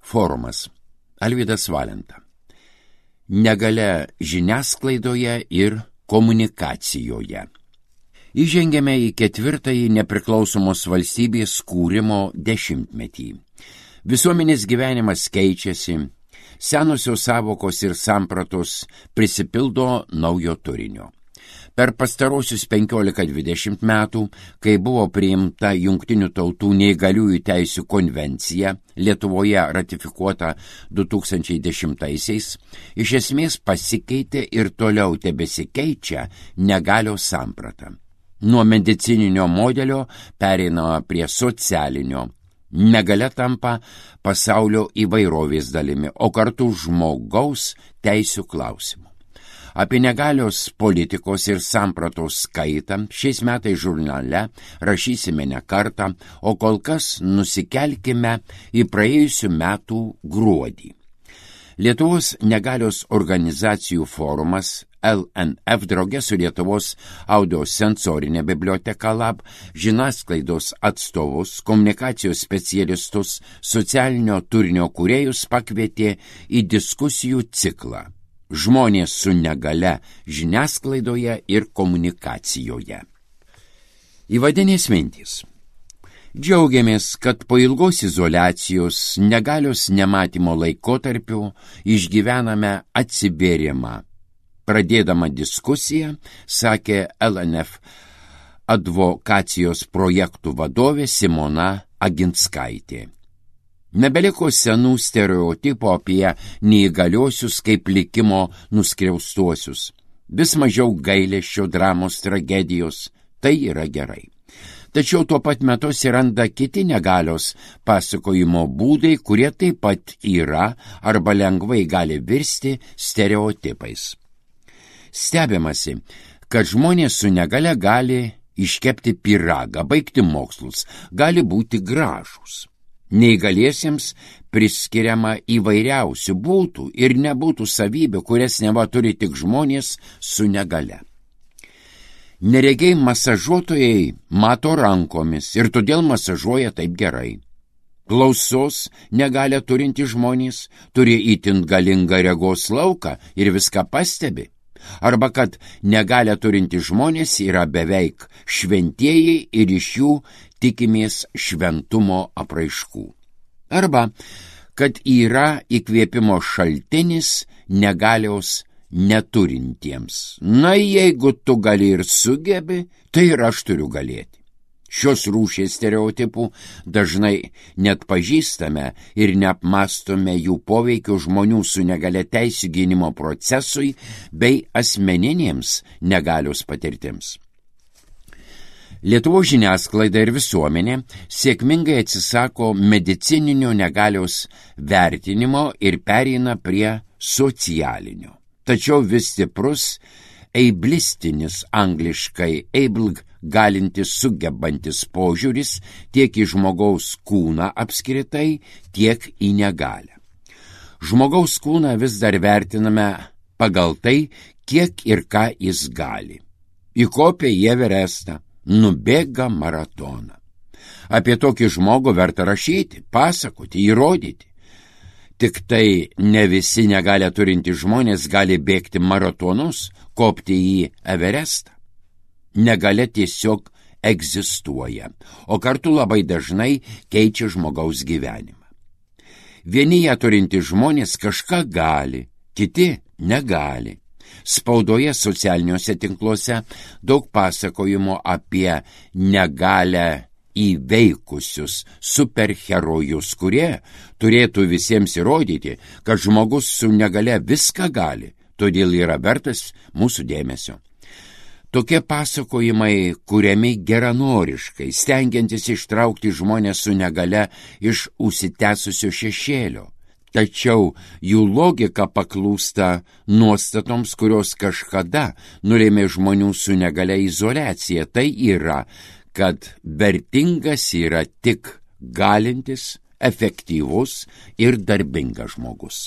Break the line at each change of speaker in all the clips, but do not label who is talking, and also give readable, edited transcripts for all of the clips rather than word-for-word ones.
Forumas. Alvydas Valenta. Negalia žiniasklaidoje ir komunikacijoje. Įžengėme į 4. nepriklausomos valstybės kūrimo dešimtmetį. Visuomenės gyvenimas keičiasi, senosios savokos ir sampratos prisipildo naujo turinio. Per pastarosius 15-20 metų, kai buvo priimta Jungtinių tautų neįgaliųjų teisių konvencija, Lietuvoje ratifikuota 2010-aisiais, iš esmės pasikeitė ir toliau tebesikeičia negalios samprata. Nuo medicininio modelio pereina prie socialinio. Negalia tampa pasaulio įvairovės dalimi, o kartu žmogaus teisių klausimu. Apie negalios politikos ir sampratos skaitą šiais metais žurnale rašysime ne kartą, o kol kas nusikelkime į praėjusių metų gruodį. Lietuvos negalios organizacijų forumas LNF drauge su Lietuvos audiosensorinė biblioteka LAB, žiniasklaidos atstovus, komunikacijos specialistus, socialinio turinio kūrėjus pakvietė į diskusijų ciklą Žmonės su negalia žiniasklaidoje ir komunikacijoje. Įvadinės mintys. Džiaugiamės, kad po ilgos izoliacijos negalios nematymo laikotarpiu išgyvename atsivėrimą. Pradėdama diskusiją, sakė LNF advokacijos projektų vadovė Simona Aginskaitė. Nebeliko senų stereotipų apie neįgaliosius kaip likimo nuskriaustuosius. Vis mažiau gailesčio, dramos, tragedijos. Tai yra gerai. Tačiau tuo pat metu atsiranda kiti negalios pasakojimo būdai, kurie taip pat yra arba lengvai gali virsti stereotipais. Stebimasi, kad žmonės su negalia gali iškepti pyragą, baigti mokslus, gali būti gražūs. Neįgaliesiems priskiriama įvairiausių būtų ir nebūtų savybių, kurias neva turi tik žmonės su negale. Neregiai masažuotojai mato rankomis ir todėl masažuoja taip gerai. Klausos negalią turinti žmonės turi itin galingą regos lauką ir viską pastebi. Arba kad negalią turinti žmonės yra beveik šventieji ir iš jų tikimės šventumo apraiškų. Arba kad yra įkvėpimo šaltinis negalios neturintiems. Na, jeigu tu gali ir sugebi, tai ir aš turiu galėti. Šios rūšies stereotipų dažnai net pažįstame ir neapmastome jų poveikio žmonių su negalia teisių gynimo procesui bei asmeninėms negalios patirtims. Lietuvos žiniasklaida ir visuomenė sėkmingai atsisako medicininio negalios vertinimo ir pereina prie socialinio. Tačiau vis stiprus eiblistinis, angliškai able, galintis sugebantis požiūris tiek į žmogaus kūną apskritai, tiek į negalią. Žmogaus kūną vis dar vertiname pagal tai, kiek ir ką jis gali. Įkopė į Everestą, nubėga maratoną. Apie tokį žmogų verta rašyti, pasakoti, įrodyti. Tik tai ne visi negalią turinti žmonės gali bėgti maratonus, kopti į Everestą. Negalia tiesiog egzistuoja, o kartu labai dažnai keičia žmogaus gyvenimą. Vieni ją turinti žmonės kažką gali, kiti negali. Spaudoje, socialiniuose tinkluose daug pasakojimo apie negalią įveikusius superherojus, kurie turėtų visiems įrodyti, kad žmogus su negalia viską gali, todėl yra vertas mūsų dėmesio. Tokie pasakojimai kuriami geranoriškai, stengiantis ištraukti žmonės su negalia iš užsitęsusio šešėlio. Tačiau jų logika paklūsta nuostatoms, kurios kažkada nulėmė žmonių su negalia izoliacija. Tai yra, kad vertingas yra tik galintis, efektyvus ir darbingas žmogus.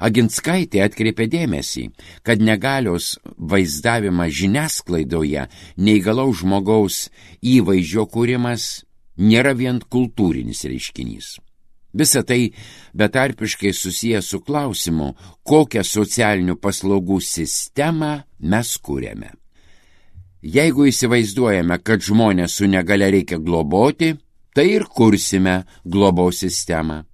Aginskaitė atkreipė dėmesį, kad negalios vaizdavimas žiniasklaidoje, neįgalaus žmogaus įvaizdžio kūrimas nėra vien kultūrinis reiškinys. Visa tai betarpiškai susiję su klausimu, kokią socialinių paslaugų sistemą mes kūrėme. Jeigu įsivaizduojame, kad žmonės su negalia reikia globoti, tai ir kursime globos sistemą.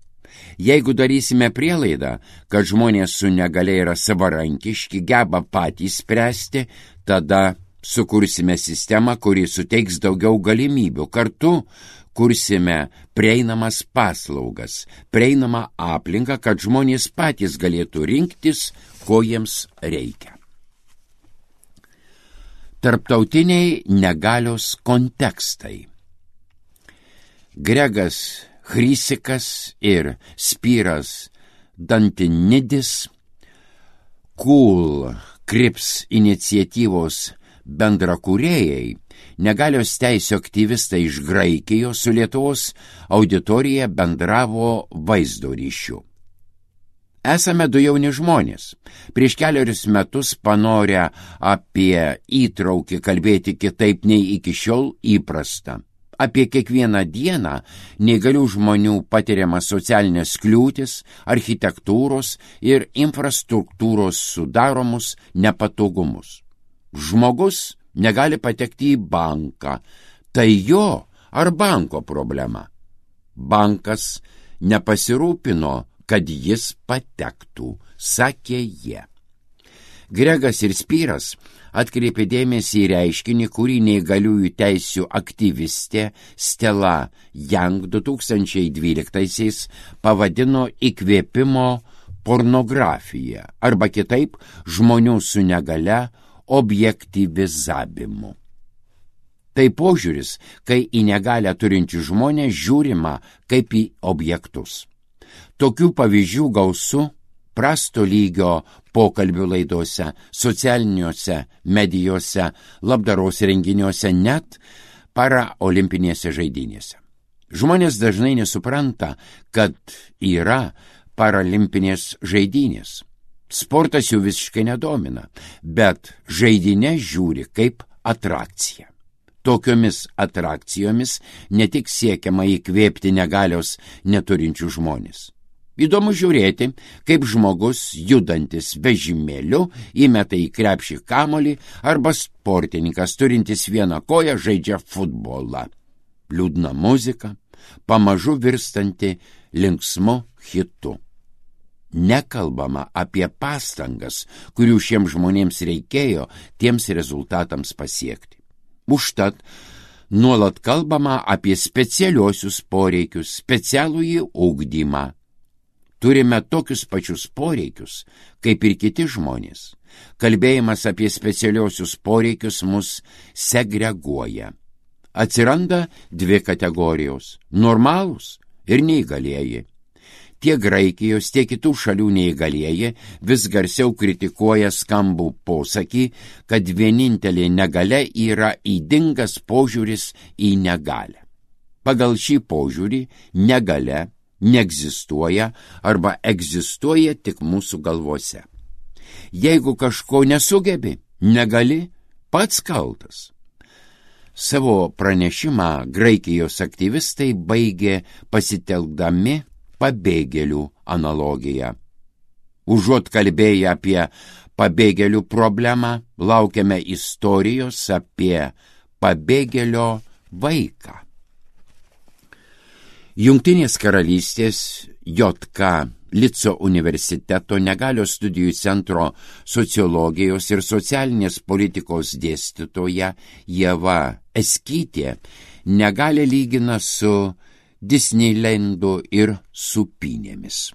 Jeigu darysime prielaidą, kad žmonės su negalia yra savarankiški, geba patys spręsti, tada sukursime sistemą, kuri suteiks daugiau galimybių. Kartu kursime prieinamas paslaugas, prieinamą aplinką, kad žmonės patys galėtų rinktis, ko jiems reikia. Tarptautiniai negalios kontekstai. Gregas Chrysikas ir Spiras Dantinidis, Cool Crips iniciatyvos bendrakūrėjai, negalios teisių aktyvistai iš Graikijos su Lietuvos auditorija bendravo vaizdo ryšiu. Esame du jauni žmonės. Prieš 4 metus panorę apie įtraukį kalbėti kitaip nei iki šiol įprasta. Apie kiekvieną dieną neįgalių žmonių patiriamas socialinės kliūtis, architektūros ir infrastruktūros sudaromus nepatogumus. Žmogus negali patekti į banką. Tai jo ar banko problema? Bankas nepasirūpino, kad jis patektų, sakė jie. Gregas ir Spiras atkreipė dėmesį į reiškinį, kurį neįgaliųjų teisių aktyvistė Stella Young 2012 pavadino įkvėpimo pornografija arba kitaip žmonių su negalia objektyvizavimu. Tai požiūris, kai į negalią turinčių žmonės žiūrima kaip į objektus. Tokių pavyzdžių gausu prasto lygio pokalbių laidose, socialiniuose medijose, labdaros renginiuose, net paraolimpinėse žaidynėse. Žmonės dažnai nesupranta, kad yra paralimpinės žaidynės. Sportas jų visiškai nedomina, bet žaidynės žiūri kaip atrakcija. Tokiomis atrakcijomis ne tik siekiama įkvėpti negalios neturinčių žmonės. Įdomu žiūrėti, kaip žmogus judantis vežimėliu įmeta į krepšį kamuolį arba sportininkas turintis vieną koją žaidžia futbolą. Liūdna muzika, pamažu virstanti linksmu hitu. Nekalbama apie pastangas, kurių šiems žmonėms reikėjo tiems rezultatams pasiekti. Užtat nuolat kalbama apie specialiuosius poreikius, specialųjį ugdymą. Turime tokius pačius poreikius, kaip ir kiti žmonės. Kalbėjimas apie specialiuosius poreikius mus segreguoja. Atsiranda 2 kategorijos – normalūs ir neįgalieji. Tiek Graikijos, tiek kitų šalių neįgalieji vis garsiau kritikuoja skambų posakį, kad vienintelė negalia yra ydingas požiūris į negalią. Pagal šį požiūrį negalia neegzistuoja arba egzistuoja tik mūsų galvose. Jeigu kažko nesugebi, negali, pats kaltas. Savo pranešimą Graikijos aktyvistai baigė pasitelkdami pabėgėlių analogiją. Užuot kalbėję apie pabėgėlių problemą, laukiame istorijos apie pabėgėlio vaiką. Jungtinės karalystės JK Lico universiteto negalios studijų centro sociologijos ir socialinės politikos dėstytoja Ieva Eskytė negalią lygina su Disneylandu ir supynėmis.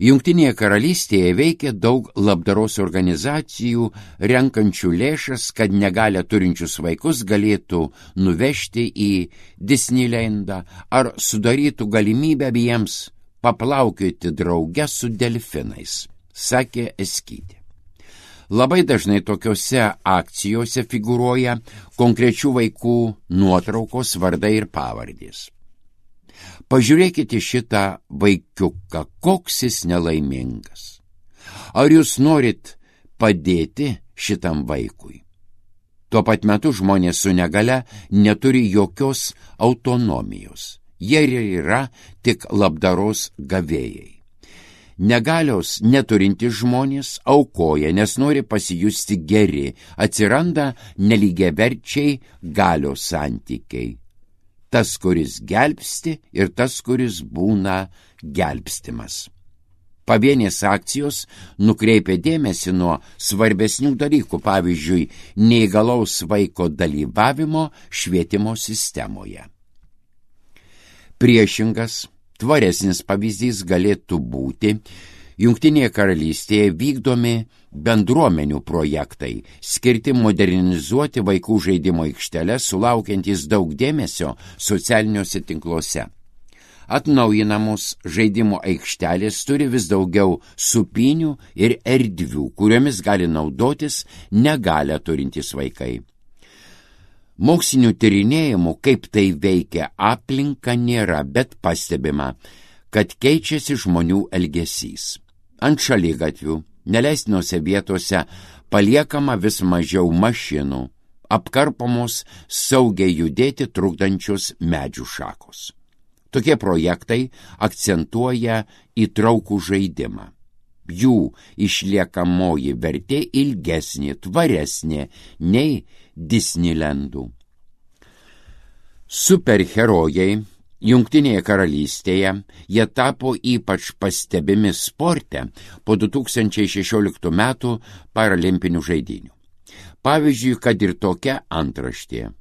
Jungtinėje karalystėje veikia daug labdaros organizacijų, renkančių lėšas, kad negalią turinčius vaikus galėtų nuvežti į Disneylandą ar sudarytų galimybę jiems paplaukioti drauge su delfinais, sakė Eskytė. Labai dažnai tokiose akcijose figūruoja konkrečių vaikų nuotraukos, vardai ir pavardės. Pažiūrėkite šitą vaikiuką, koks jis nelaimingas. Ar jūs norit padėti šitam vaikui? Tuo pat metu žmonės su negalia neturi jokios autonomijos. Jie yra tik labdaros gavėjai. Negalios neturinti žmonės aukoja, nes nori pasijusti geri, atsiranda nelygiaverčiai galios santykiai. Tas, kuris gelbsti ir tas, kuris būna gelbstimas. Pavienės akcijos nukreipia dėmesį nuo svarbesnių dalykų, pavyzdžiui, neįgalaus vaiko dalyvavimo švietimo sistemoje. Priešingas, tvaresnis pavyzdys galėtų būti Jungtinėje karalystėje vykdomi bendruomenių projektai, skirti modernizuoti vaikų žaidimo aikšteles, sulaukiantys daug dėmesio socialiniuose tinkluose. Atnaujinamos žaidimo aikštelės turi vis daugiau supynių ir erdvių, kuriomis gali naudotis negalią turintys vaikai. Mokslinių tyrinėjimų, kaip tai veikia aplinka, nėra, bet pastebima, kad keičiasi žmonių elgesys. Ant šaligatvių, neleistinose vietose paliekama vis mažiau mašinų, apkarpomos saugiai judėti trukdančios medžių šakos. Tokie projektai akcentuoja įtraukų žaidimą. Jų išliekamoji vertė ilgesnė, tvaresnė nei Disneylandų. Superherojai Jungtinėje karalystėje jie tapo ypač pastebimi sporte po 2016 metų paralimpinių žaidynių. Pavyzdžiui, kad ir tokia antraštė.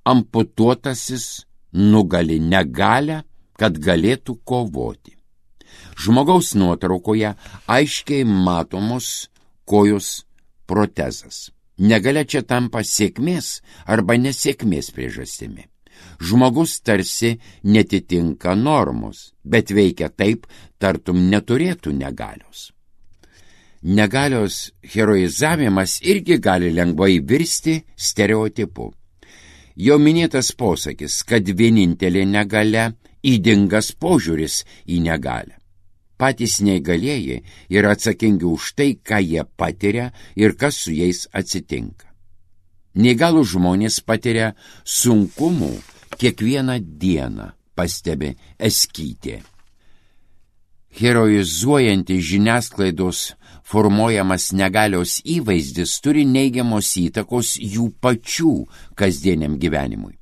Amputuotasis nugali negalią, kad galėtų kovoti. Žmogaus nuotraukoje aiškiai matomos kojos protezas. Negalia čia tampa sėkmės arba nesėkmės priežastimi. Žmogus tarsi netitinka normos, bet veikia taip, tartum neturėtų negalios. Negalios heroizavimas irgi gali lengvai virsti stereotipu. Jau minėtas posakis, kad vienintelė negalia – ydingas požiūris į negalią. Patys neįgalieji yra atsakingi už tai, ką jie patiria ir kas su jais atsitinka. Neįgalų žmonės patiria sunkumų kiekvieną dieną, pastebi Eskytė. Heroizuojantis žiniasklaidos formuojamas negalios įvaizdis turi neigiamos įtakos jų pačių kasdieniam gyvenimui.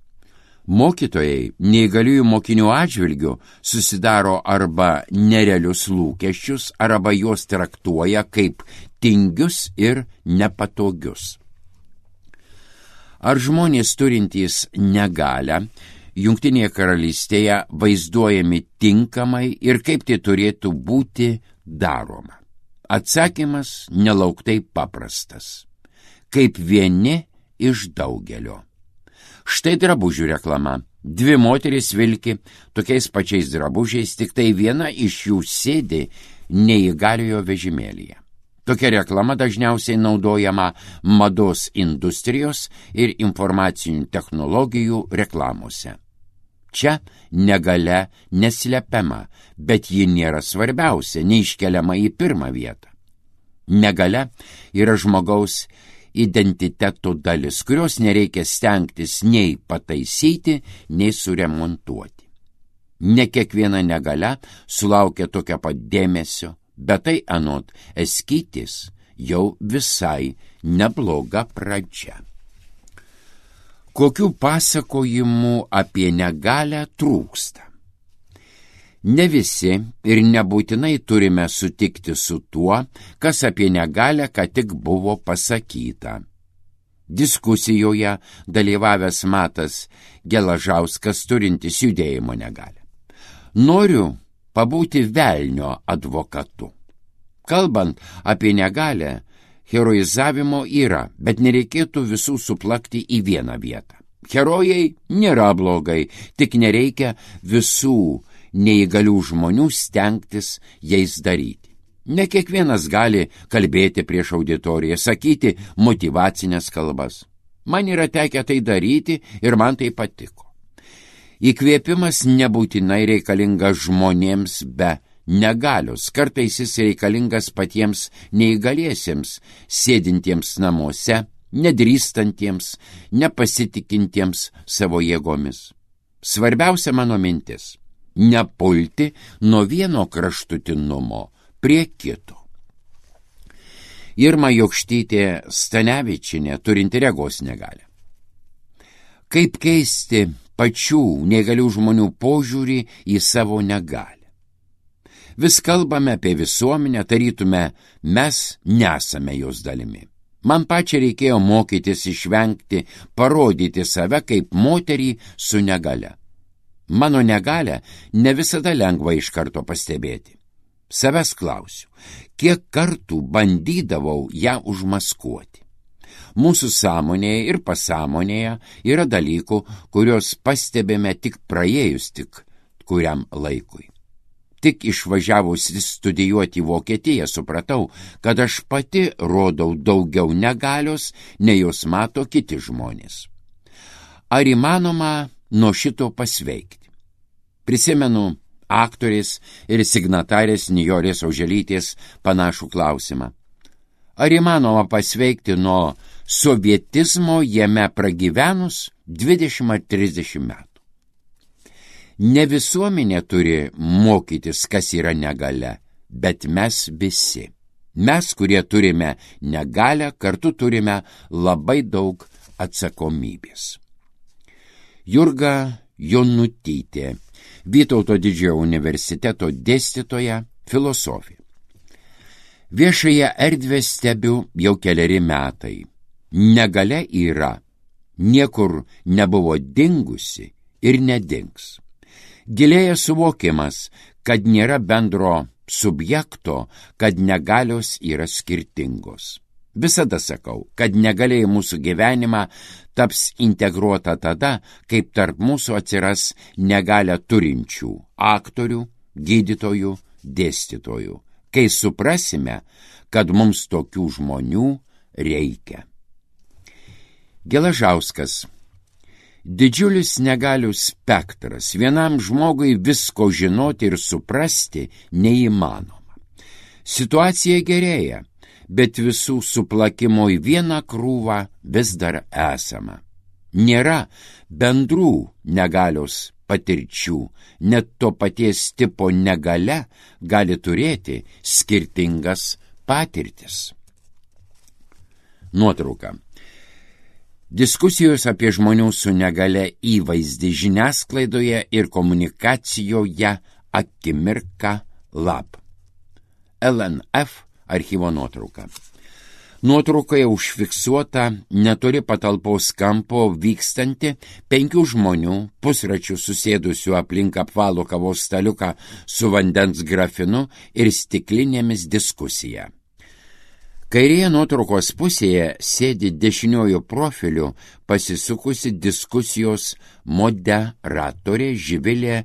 Mokytojai neįgaliųjų mokinių atžvilgių susidaro arba nerealius lūkesčius, arba juos traktuoja kaip tingius ir nepatogius. Ar žmonės turintys negalią Jungtinėje karalystėje vaizduojami tinkamai ir kaip tai turėtų būti daroma? Atsakymas nelauktai paprastas. Kaip vieni iš daugelio. Štai drabužių reklama. Dvi moterys vilki tokiais pačiais drabužiais, tik tai viena iš jų sėdi neįgaliojo vežimėlyje. Tokia reklama dažniausiai naudojama mados industrijos ir informacinių technologijų reklamose. Čia negalia neslepiama, bet ji nėra svarbiausia, neiškeliama į pirmą vietą. Negalia yra žmogaus identiteto dalis, kurios nereikia stengtis nei pataisyti, nei suremontuoti. Ne kiekviena negalia sulaukia tokio pat dėmesio, bet tai anot Eskytės jau visai nebloga pradžia. Kokių pasakojimų apie negalią trūksta? Ne visi ir nebūtinai turime sutikti su tuo, kas apie negalią ką tik buvo pasakyta. Diskusijoje dalyvavęs Matas Gelažauskas turintis judėjimo negalią. Noriu pabūti velnio advokatu. Kalbant apie negalią, heroizavimo yra, bet nereikėtų visų suplakti į vieną vietą. Herojai nėra blogai, tik nereikia visų neįgalių žmonių stengtis jais daryti. Ne kiekvienas gali kalbėti prieš auditoriją, sakyti motyvacinės kalbas. Man yra tekę tai daryti ir man tai patiko. Įkvėpimas nebūtinai reikalingas žmonėms be negalios. Kartais jis reikalingas patiems neįgaliesiems, sėdintiems namuose, nedrįstantiems, nepasitikintiems savo jėgomis. Svarbiausia mano mintis – nepulti nuo vieno kraštutinumo prie kito. Irma Jokštytė Stanevičienė turinti regos negalią. Kaip keisti pačių negalių žmonių požiūrį į savo negalią? Vis kalbame apie visuomenę, tarytume, mes nesame jos dalimi. Man pačiai reikėjo mokytis išvengti, parodyti save kaip moterį su negale. Mano negalią ne visada lengva iš karto pastebėti. Savęs klausiu, kiek kartų bandydavau ją užmaskuoti. Mūsų sąmonėje ir pasąmonėje yra dalykų, kuriuos pastebėme tik praėjus tik kuriam laikui. Tik išvažiavusi studijuoti į Vokietiją supratau, kad aš pati rodau daugiau negalios, nei jos mato kiti žmonės. Ar įmanoma nuo šito pasveikti? Prisimenu aktorės ir signatarės Nijolės Oželytės panašų klausimą. Ar įmanoma pasveikti nuo sovietizmo jame pragyvenus 20 ar 30 metų? Ne visuomenė turi mokytis, kas yra negalia, bet mes visi. Mes, kurie turime negalią, kartu turime labai daug atsakomybės. Jurga Jonutytė, Vytauto Didžiojo universiteto dėstytoja, filosofė. Viešąją erdvę stebiu jau keleri metai. Negalia yra, niekur nebuvo dingusi ir nedings. Gilėja suvokimas, kad nėra bendro subjekto, kad negalios yra skirtingos. Visada sakau, kad negalia į mūsų gyvenimą taps integruota tada, kaip tarp mūsų atsiras negalią turinčių aktorių, gydytojų, dėstytojų, kai suprasime, kad mums tokių žmonių reikia. Gelažauskas. Didžiulis negalių spektras, vienam žmogui visko žinoti ir suprasti neįmanoma. Situacija gerėja, bet visų suplakimo į vieną krūvą vis dar esama. Nėra bendrų negalios patirčių, net to paties tipo negalia gali turėti skirtingas patirtis. Nuotrauka. Diskusijos apie žmonių su negale įvaizdį žiniasklaidoje ir komunikacijoje akimirka lab. LNF archyvo nuotrauka. Nuotraukoje užfiksuota netoli patalpos kampo vykstanti 5 žmonių pusračių susėdusių aplink apvalų kavos staliuką su vandens grafinu ir stiklinėmis diskusija. Kairėje nuotraukos pusėje sėdi dešiniojo profiliu pasisukusi diskusijos moderatorė Živilė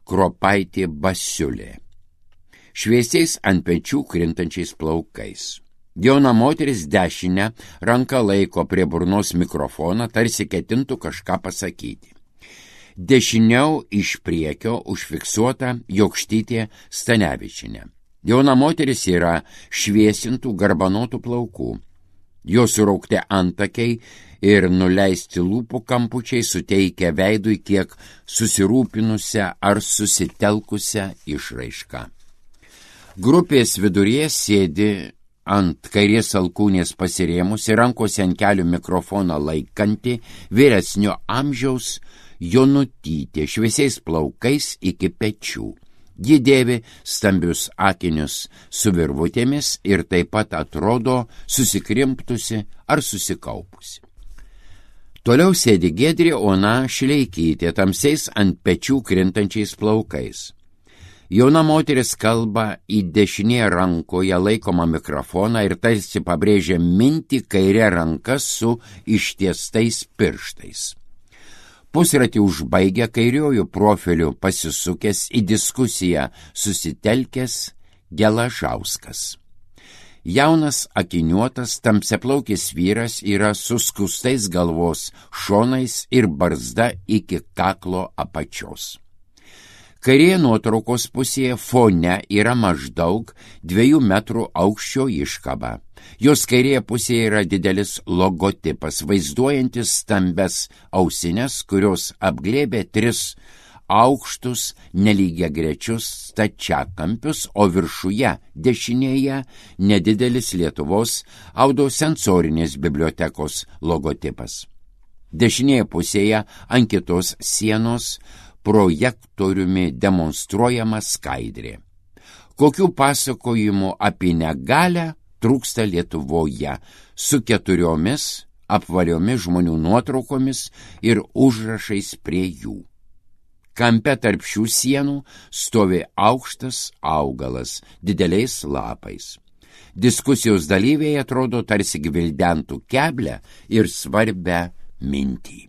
Kropaitė Basiulė. Šviesiais ant pečių krintančiais plaukais. Jauna moteris dešinę ranką laiko prie burnos mikrofoną, tarsi ketintų kažką pasakyti. Dešiniau iš priekio užfiksuota Jokštytė Stanevičienė. Jauna moteris yra šviesintų garbanotų plaukų. Jos suraukti antakiai ir nuleisti lūpų kampučiai suteikia veidui kiek susirūpinusią ar susitelkusią išraišką. Grupės viduryje sėdi ant kairės alkūnės pasirėmusi, rankose ant kelių mikrofoną laikanti vyresnio amžiaus Jonutytė šviesiais plaukais iki pečių. Ji dėvi stambius akinius su virvutėmis ir taip pat atrodo susikrimtusi ar susikaupusi. Toliau sėdi Giedrė Ona Šileikytė tamsiais ant pečių krintančiais plaukais. Jauna moteris kalba į dešinėje rankoje laikomą mikrofoną ir tarsi pabrėžia mintį kairė ranka su ištiestais pirštais. Pusratį užbaigę kairiojų profilių pasisukęs į diskusiją susitelkęs Gelažauskas. Jaunas akiniuotas tamsiaplaukis vyras yra su skustais galvos šonais ir barzda iki kaklo apačios. Kairėje nuotraukos pusėje fone yra maždaug 2 metrų aukščio iškaba. Jos kairėje pusėje yra didelis logotipas, vaizduojantis stambes ausines, kurios apglėbė 3 aukštus nelygiagrečius stačiakampius, o viršuje dešinėje nedidelis Lietuvos audiosensorinės bibliotekos logotipas. Dešinėje pusėje ant kitos sienos projektoriumi demonstruojama skaidrė. Kokių pasakojimų apie negalią trūksta Lietuvoje su 4 apvaliomis žmonių nuotraukomis ir užrašais prie jų. Kampe tarp šių sienų stovi aukštas augalas dideliais lapais. Diskusijos dalyviai atrodo tarsi gvildentų keblią ir svarbią mintį.